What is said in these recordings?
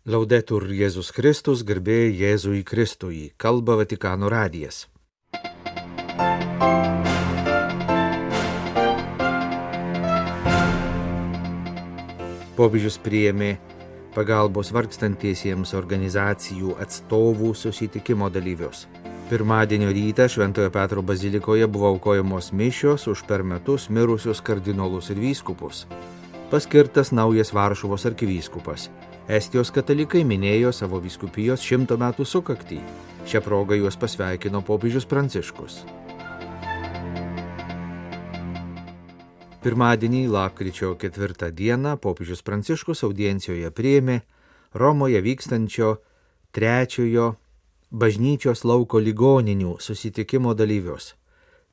Laudetur Jėzus Kristus, garbė Jėzui Kristui, kalba Vatikano radijas. Popiežius priėmė pagalbos vargstantiesiems organizacijų atstovų susitikimo dalyvius. Pirmadienio rytą Šventojo Petro bazilikoje buvo aukojamos mišios už per metus mirusius kardinolus ir vyskupus. Paskirtas naujas Varšuvos arkivyskupas. Estijos katalikai minėjo savo vyskupijos 100 metų sukaktį. Šią progą juos pasveikino popiežius Pranciškus. Pirmadienį, lapkričio 4 dieną, popiežius Pranciškus audiencijoje priėmė Romoje vykstančio 3 bažnyčios lauko ligoninių susitikimo dalyvius.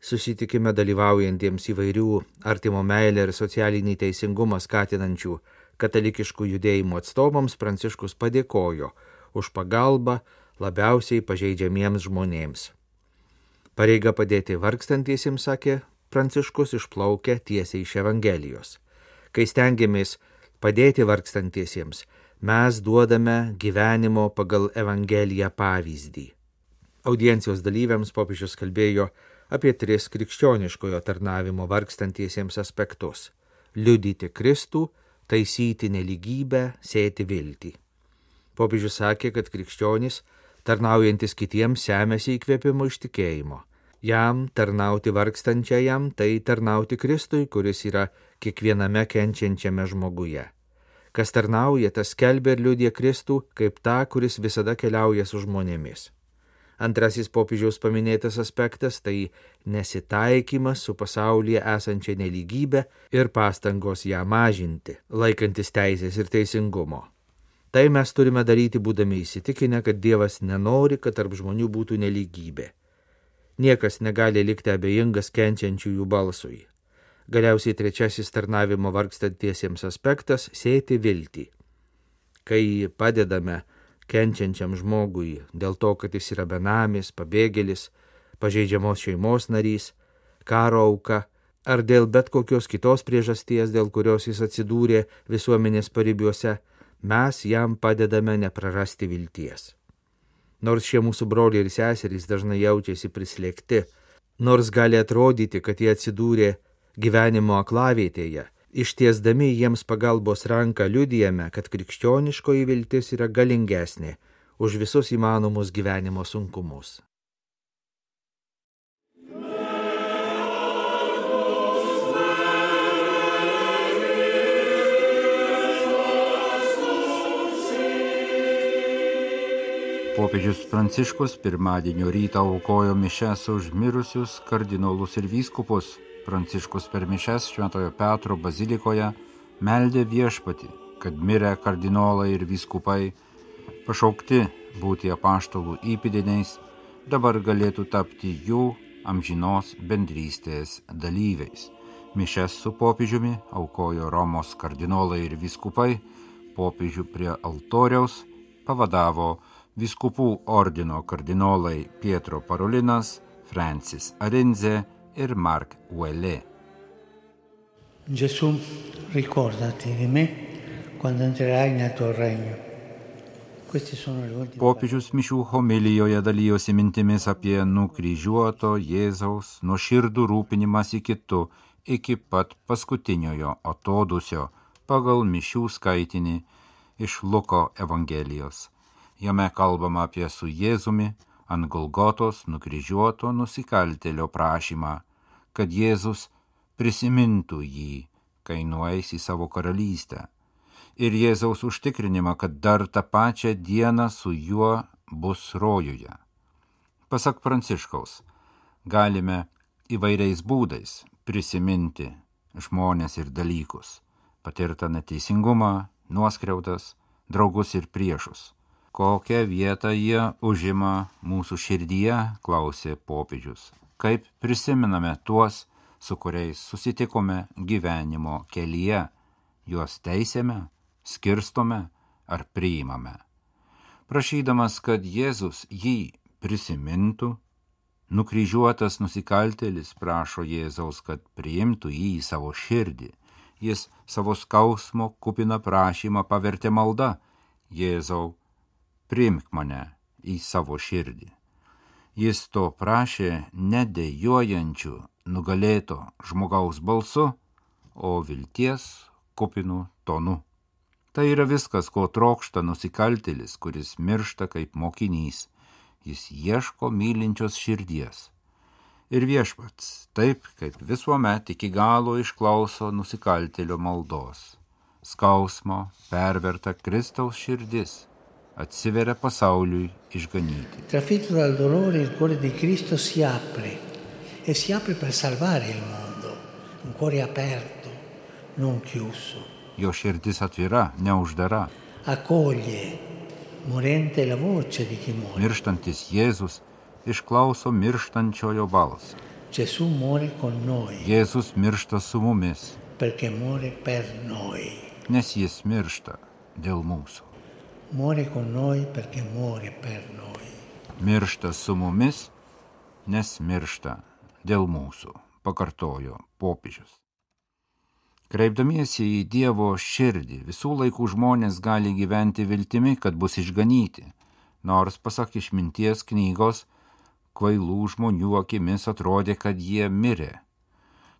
Susitikime dalyvaujantiems įvairių artimo meilę ir socialinį teisingumą skatinančių katalikiškų judėjimų atstovams Pranciškus padėkojo už pagalbą labiausiai pažeidžiamiems žmonėms. Pareiga padėti vargstantiesiems, sakė Pranciškus, išplaukia tiesiai iš Evangelijos. Kai stengiamės padėti vargstantiesiems, mes duodame gyvenimo pagal Evangeliją pavyzdį. Audiencijos dalyviams popiežius kalbėjo apie 3 krikščioniškojo tarnavimo vargstantiesiems aspektus – liudyti Kristų, taisyti nelygybę, sėti viltį. Popiežius sakė, kad krikščionys, tarnaujantis kitiems, semiasi įkvėpimo iš tikėjimo. Jam tarnauti vargstančiajam, tai tarnauti Kristui, kuris yra kiekviename kenčiančiame žmoguje. Kas tarnauja, tas skelbia ir liudija Kristų kaip tą, kuris visada keliauja su žmonėmis. Antrasis popiežiaus paminėtas aspektas – tai nesitaikymas su pasaulyje esančia nelygybė ir pastangos ją mažinti, laikantis teisės ir teisingumo. Tai mes turime daryti būdami įsitikinę, kad Dievas nenori, kad tarp žmonių būtų nelygybė. Niekas negali likti abejingas kenčiančiųjų balsui. Galiausiai 3 tarnavimo vargstantiesiems aspektas – sėti viltį. Kai padedame kenčiančiam žmogui dėl to, kad jis yra benamis, pabėgėlis, pažeidžiamos šeimos narys, karo auka, ar dėl bet kokios kitos priežasties, dėl kurios jis atsidūrė visuomenės paribiuose, mes jam padedame neprarasti vilties. Nors šie mūsų broliai ir seserys dažnai jaučiasi prislėgti, nors gali atrodyti, kad jie atsidūrė gyvenimo aklavietėje, ištiesdami jiems pagalbos ranką liudijame, kad krikščioniškoji viltis yra galingesnė už visus įmanomus gyvenimo sunkumus. Popiežius Pranciškus pirmadienio rytą aukojo mišias už mirusius kardinolus ir vyskupus. Pranciškus per mišias Šventojo Petro bazilikoje meldė viešpatį, kad mirę kardinolai ir vyskupai, pašaukti būti apaštalų įpėdiniais, dabar galėtų tapti jų amžinos bendrystės dalyviais. Mišias su popiežiumi aukojo Romos kardinolai ir vyskupai, popiežių prie altoriaus pavadavo vyskupų ordino kardinolai Pietro Parolinas, Francis Arinze ir Mark Ouellet. Gesù, ricordati di me quando entrerai nel tuo regno. Popiežius mišių homilijoje dalijosi mintimis apie nukryžiuoto Jėzaus nuoširdų rūpinimąsi kitu iki pat paskutiniojo atodūsio pagal mišių skaitinį iš Luko Evangelijos. Jame kalbama apie su Jėzumi ant Golgotos nukryžiuoto nusikaltėlio prašymą, kad Jėzus prisimintų jį, kai nueis į savo karalystę, ir Jėzaus užtikrinimą, kad dar tą pačią dieną su juo bus rojuje. Pasak Pranciškaus, galime įvairiais būdais prisiminti žmones ir dalykus, patirtą neteisingumą, nuoskriaudas, draugus ir priešus. Kokią vietą jie užima mūsų širdyje, klausė popiežius. Kaip prisimename tuos, su kuriais susitikome gyvenimo kelyje, juos teisėme, skirstome ar priimame. Prašydamas, kad Jėzus jį prisimintų, nukryžiuotas nusikaltėlis prašo Jėzaus, kad priimtų jį į savo širdį. Jis savo skausmo kupiną prašymą pavertė malda. Jėzau, priimk mane į savo širdį. Jis to prašė nedejuojančių, nugalėto žmogaus balsu, o vilties kupinų tonu. Tai yra viskas, ko trokšta nusikaltėlis, kuris miršta kaip mokinys. Jis ieško mylinčios širdies. Ir Viešpats, taip kaip visuomet iki galo išklauso nusikaltėlio maldos. Skausmo perverta Kristaus širdis atsiveria pasauliui išganyti. Trafitto dal dolore, il cuore di Cristo si apre per salvare il mondo. Un cuore aperto, non chiuso. Jo širdis atvira, neuždara. Accoglie, morente la voce di chi muore. Mirštantis Jėzus išklauso mirštančiojo balsą. Gesù muore con noi. Jėzus miršta su mumis, Perché muore per noi. nes jis miršta dėl mūsų. Muore con noi perché muore per noi. Miršta su mumis, nes miršta dėl mūsų, pakartojo popiežius. Kreipdamiesi į Dievo širdį, visų laikų žmonės gali gyventi viltimi, kad bus išganyti, nors pasak Išminties knygos, kvailų žmonių akimis atrodė, kad jie mirė.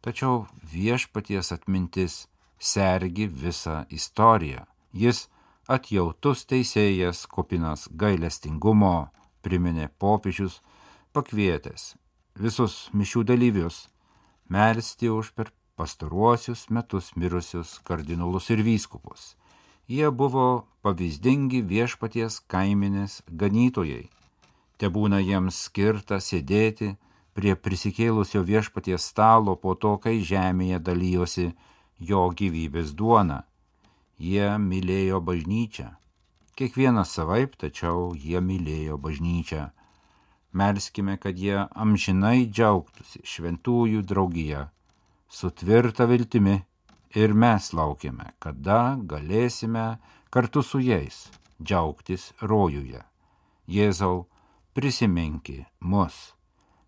Tačiau Viešpaties atmintis sergi visą istoriją. Jis atjautus teisėjas, kupinas gailestingumo, priminė popiežius, pakvietęs visus mišių dalyvius melsti už per pastaruosius metus mirusius kardinolus ir vyskupus. Jie buvo pavyzdingi Viešpaties kaiminės ganytojai. Tebūna jiems skirta sėdėti prie prisikėlusio Viešpaties stalo po to, kai žemėje dalyjosi jo gyvybės duona. Jie mylėjo bažnyčią. Kiekvienas savaip, tačiau jie mylėjo bažnyčią. Melskime, kad jie amžinai džiaugtųsi šventųjų draugija, su tvirta viltimi, ir mes laukiame, kada galėsime kartu su jais džiaugtis rojuje. Jėzau, prisiminki mus,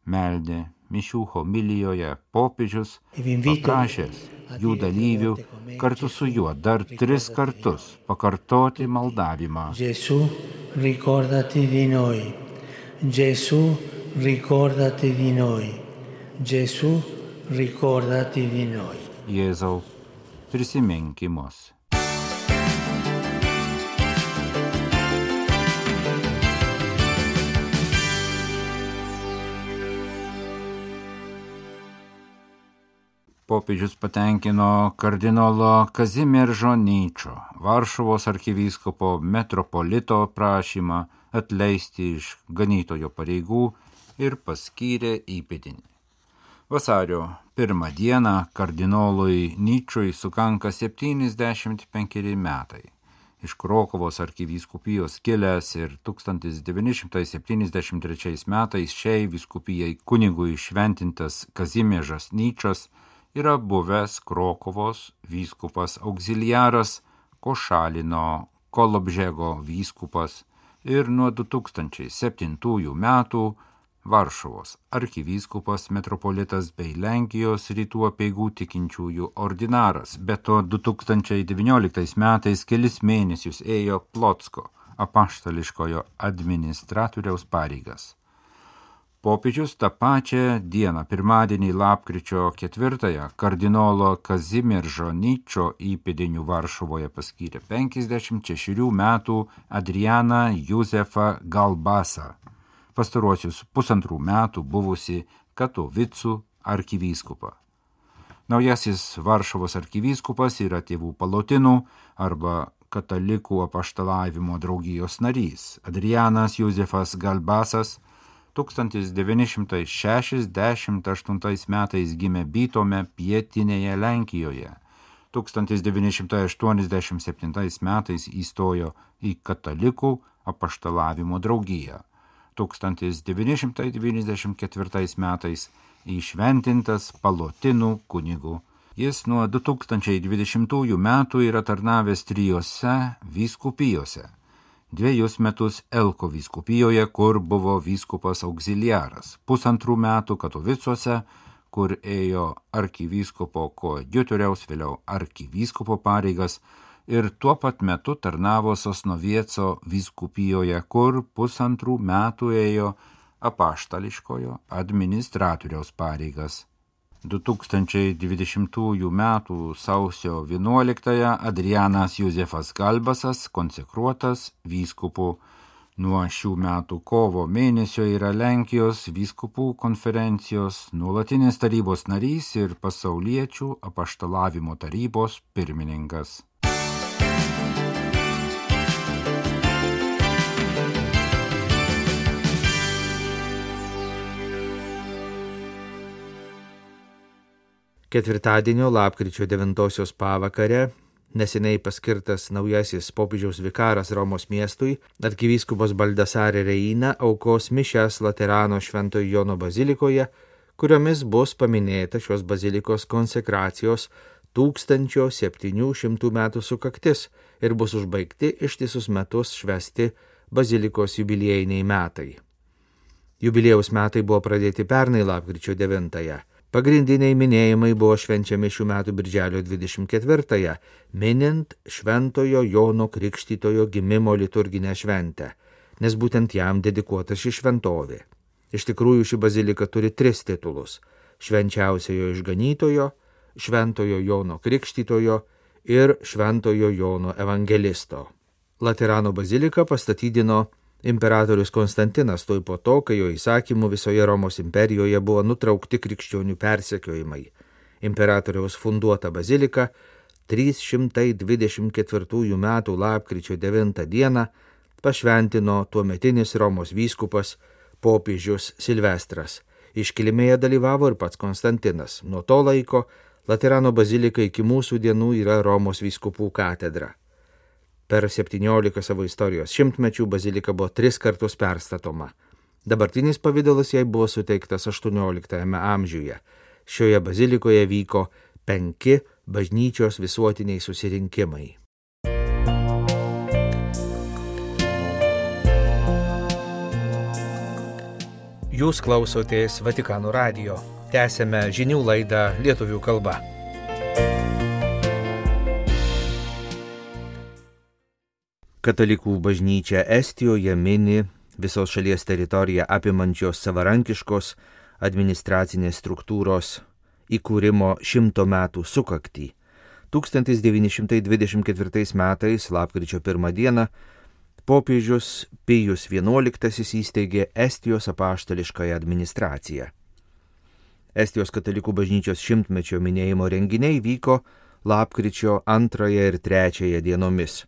meldė mišių homilijoje popiežius, paprašęs jų dalyvių kartu su juo dar 3 kartus pakartoti maldavimą. Gesù, ricordati di noi. Gesù, ricordati di noi. Gesù, ricordati di noi. Jėzau, prisiminki mus. Popiežius patenkino kardinolo Kazimieržo Nyčo, Varšuvos arkivyskupo metropolito prašymą atleisti iš ganytojo pareigų ir paskyrė įpėdinį. Vasario 1 dieną kardinolui Nyčui sukanka 75 metai. Iš Krokuvos arkivyskupijos kilęs ir 1973 metais šiai vyskupijai kunigui šventintas Kazimiežas Nyčas yra buvęs Krokuvos vyskupas auxiliaras, Košalino Kolobžego vyskupas ir nuo 2007 metų Varšuvos arkivyskupas metropolitas bei Lenkijos rytų apeigų tikinčiųjų ordinaras. Be to 2019 metais kelis mėnesius ėjo Plotsko apaštališkojo administratoriaus pareigas. Popiežius tą pačią dieną, pirmadienį lapkričio 4, kardinolo Kazimieržo Nyčo įpėdiniu Varšuvoje paskyrė 56 metų Adrianą Juzefą Galbasą, pastaruosius 1,5 metų buvusi Katovicų arkivyskupą. Naujasis Varšuvos arkivyskupas yra tėvų palotinų arba katalikų apaštalavimo draugijos narys. Adrianas Juzefas Galbasas 1968 metais gimė Bytome pietinėje Lenkijoje. 1987 metais įstojo į katalikų apaštalavimo draugiją. 1994 metais įšventintas palotinų kunigų. Jis nuo 2020 metų yra tarnavęs 3 vyskupijose. 2 metus Elko vyskupijoje, kur buvo vyskupas auxiliaras, 1,5 metų Katovicuose, kur ėjo arkivyskupo koadjutoriaus, vėliau arkivyskupo pareigas, ir tuo pat metu tarnavo Sosnovieco vyskupijoje, kur 1,5 metų ėjo apaštališkojo administratoriaus pareigas. 2020 m. sausio 11 Adrianas Juzefas Galbasas konsekruotas vyskupu. Nuo šių metų kovo mėnesio yra Lenkijos vyskupų konferencijos nuolatinis tarybos narys ir pasauliečių apaštalavimo tarybos pirmininkas. Ketvirtadienio lapkričio 9 pavakare neseniai paskirtas naujasis popiežiaus vikaras Romos miestui, arkivyskupas Baldasare Reina aukos mišias Laterano Šventojo Jono bazilikoje, kuriomis bus paminėta šios bazilikos konsekracijos 1700 metų sukaktis ir bus užbaigti ištisus metus švęsti bazilikos jubiliejiniai metai. Jubiliejaus metai buvo pradėti pernai lapkričio 9. Pagrindiniai minėjimai buvo švenčiami šių metų birželio 24, minint Šventojo Jono Krikštytojo gimimo liturginę šventę, nes būtent jam dedikuota ši šventovė. Iš tikrųjų ši bazilika turi 3 titulus – Švenčiausiojo Išganytojo, Šventojo Jono Krikštytojo ir Šventojo Jono Evangelisto. Laterano baziliką pastatydino imperatorius Konstantinas tuoj po to, kai jo įsakymu visoje Romos imperijoje buvo nutraukti krikščionių persekiojimai. Imperatoriaus funduota bazilika 324 metų lapkričio 9 dieną pašventino tuometinis Romos vyskupas popiežius Silvestras. Iškilmėje dalyvavo ir pats Konstantinas. Nuo to laiko Laterano bazilika iki mūsų dienų yra Romos vyskupų katedra. Per 17 savo istorijos šimtmečių bazilika buvo 3 kartus perstatoma. Dabartinis pavidalas jai buvo suteiktas 18 amžiuje. Šioje bazilikoje vyko 5 bažnyčios visuotiniai susirinkimai. Jūs klausotės Vatikano radijo. Tęsėme žinių laidą lietuvių kalba. Katalikų bažnyčia Estijoje mini visos šalies teritoriją apimančios savarankiškos administracinės struktūros įkūrimo 100 metų sukaktį. 1924 metais, lapkričio 1 dieną, popiežius Pijus XI įsteigė Estijos apaštališkąją administraciją. Estijos katalikų bažnyčios 100-mečio minėjimo renginiai vyko lapkričio 2 ir 3 dienomis.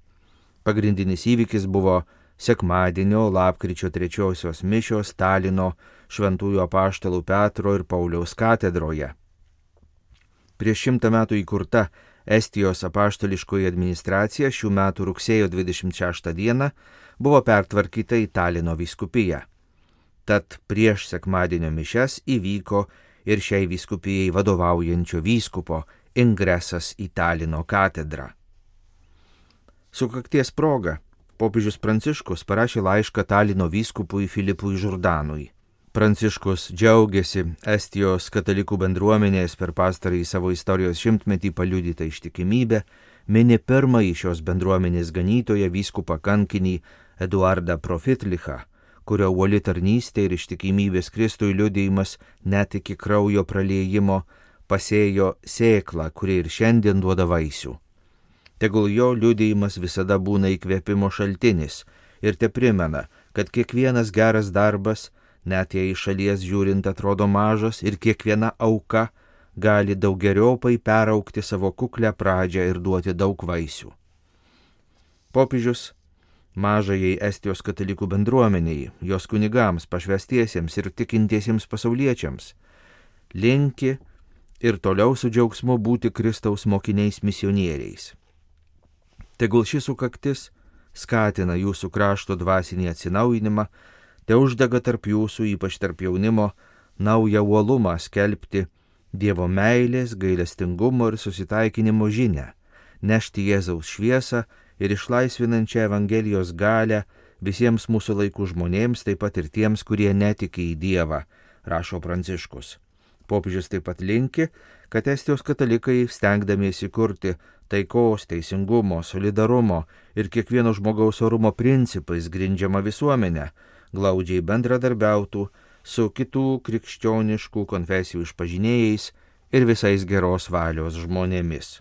Pagrindinis įvykis buvo sekmadienio lapkričio 3 mišios Talino šventųjų apaštalų Petro ir Pauliaus katedroje. Prieš 100 metų įkurta Estijos apaštališkoji administracija šių metų rugsėjo 26 dieną buvo pertvarkyta į Talino vyskupiją. Tad prieš sekmadienio mišias įvyko ir šiai vyskupijai vadovaujančio vyskupo ingresas į Talino katedrą. Sukakties proga popiežius Pranciškus parašė laišką Talino vyskupui Filipui Žurdanui. Pranciškus džiaugiasi Estijos katalikų bendruomenės per pastarąjį savo istorijos 100-metį paliudytą ištikimybę, mini pirmąjį šios bendruomenės ganytoją vyskupą kankinį Eduardą Profitlichą, kurio uoli tarnystė ir ištikimybės Kristui liudijimas net iki kraujo praliejimo pasėjo sėklą, kuri ir šiandien duoda vaisių. Tegul jo liudijimas visada būna įkvėpimo šaltinis ir te primena, kad kiekvienas geras darbas, net jei iš šalies žiūrint atrodo mažas, ir kiekviena auka gali daugeriopai peraugti savo kuklę pradžią ir duoti daug vaisių. Popiežius mažajai Estijos katalikų bendruomeniai, jos kunigams, pašvęstiesiems ir tikintiesiems pasauliečiams linki ir toliau su džiaugsmu būti Kristaus mokiniais misionieriais. Tegul šis sukaktis skatina jūsų krašto dvasinį atsinaujinimą, te uždega tarp jūsų, ypač tarp jaunimo, naują uolumą skelbti Dievo meilės, gailestingumo ir susitaikinimo žinią, nešti Jėzaus šviesą ir išlaisvinančią Evangelijos galią visiems mūsų laikų žmonėms, taip pat ir tiems, kurie netiki į Dievą, rašo Pranciškus. Popiežius taip pat linki, kad Estijos katalikai, stengdamiesi kurti taikos, teisingumo, solidarumo ir kiekvieno žmogaus orumo principais grindžiama visuomenė glaudžiai bendradarbiautų su kitų krikščioniškų konfesijų išpažinėjais ir visais geros valios žmonėmis.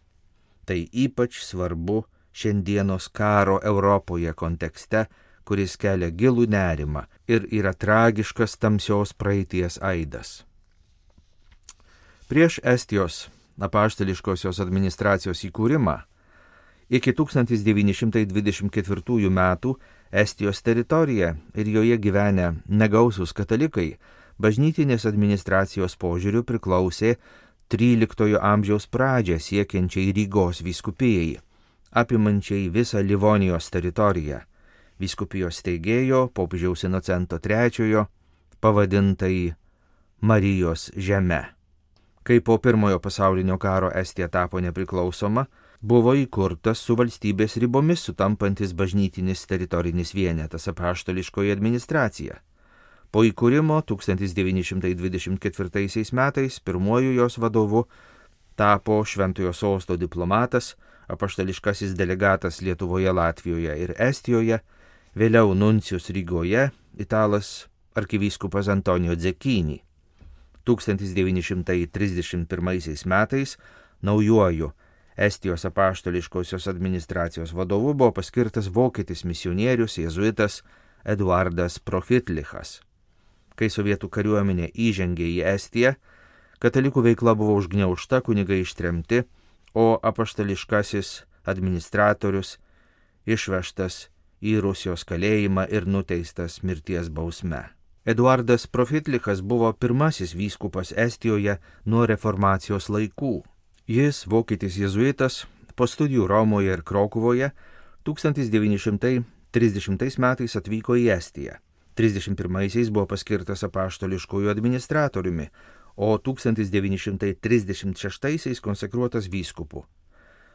Tai ypač svarbu šiandienos karo Europoje kontekste, kuris kelia gilų nerimą ir yra tragiškas tamsios praeities aidas. Prieš Estijos apaštališkosios administracijos įkūrimą iki 1924 metų Estijos teritorija ir joje gyvenę negausūs katalikai bažnytinės administracijos požiūriu priklausė 13 amžiaus pradžią siekiančiai Rygos vyskupijai, apimančiai visą Livonijos teritoriją, vyskupijos steigėjo popiežiaus Inocento III pavadintai Marijos žeme. Kai po Pirmojo pasaulinio karo Estija tapo nepriklausoma, buvo įkurtas su valstybės ribomis sutampantis bažnytinis teritorinis vienetas apaštališkoji administracija. Po įkūrimo 1924 metais pirmuoju jos vadovu tapo Šventojo Sosto diplomatas, apaštališkasis delegatas Lietuvoje, Latvijoje ir Estijoje, vėliau nuncijus Rygoje, italas arkivyskupas Antonijo Dzekini. 1931 metais naujuoju Estijos apaštališkosios administracijos vadovu buvo paskirtas vokietis misionierius jėzuitas Eduardas Profitlichas. Kai sovietų kariuomenė įžengė į Estiją, katalikų veikla buvo užgniaužta, kunigai ištremti, o apaštališkasis administratorius išvežtas į Rusijos kalėjimą ir nuteistas mirties bausme. Eduardas Profitlichas buvo pirmasis vyskupas Estijoje nuo reformacijos laikų. Jis, vokietis jėzuitas, po studijų Romoje ir Krokuvoje 1930 metais atvyko į Estiją. 1931 buvo paskirtas apaštališkųjų administratoriumi, o 1936 konsekruotas vyskupu.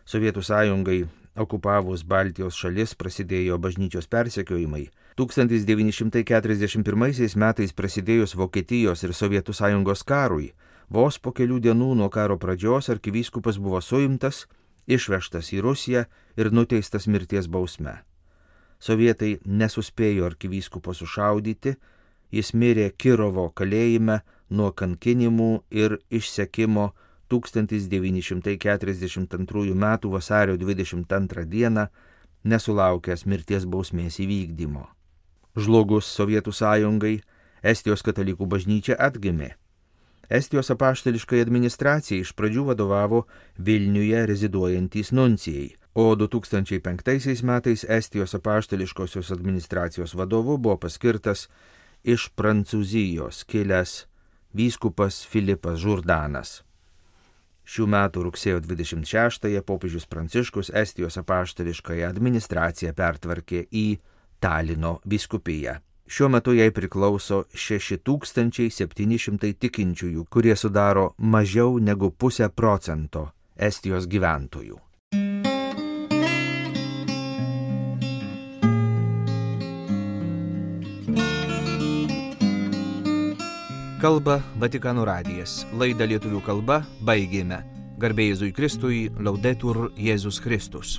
Sovietų sąjungai okupavus Baltijos šalis prasidėjo bažnyčios persekiojimai. 1941 metais prasidėjus Vokietijos ir Sovietų sąjungos karui, vos po kelių dienų nuo karo pradžios arkivyskupas buvo suimtas, išvežtas į Rusiją ir nuteistas mirties bausme. Sovietai nesuspėjo arkivyskupo sušaudyti, jis mirė Kirovo kalėjime nuo kankinimų ir išsekimo 1942 m. vasario 22 d. nesulaukęs mirties bausmės įvykdymo. Žlugus Sovietų sąjungai, Estijos katalikų bažnyčia atgimė. Estijos apaštališkai administracijai iš pradžių vadovavo Vilniuje reziduojantys nuncijai, o 2005 metais Estijos apaštališkosios administracijos vadovu buvo paskirtas iš Prancūzijos kilęs vyskupas Filipas Žurdanas. Šių metų rugsėjo 26-ąją popiežius Pranciškus Estijos apaštališkąją administraciją pertvarkė į Talino vyskupiją. Šiuo metu jai priklauso 6700 tikinčiųjų, kurie sudaro mažiau negu 0,5% Estijos gyventojų. Kalba Vatikano radijas. Laidą lietuvių kalba baigėme. Garbė Jėzui Kristui, Laudetur Jėzus Kristus.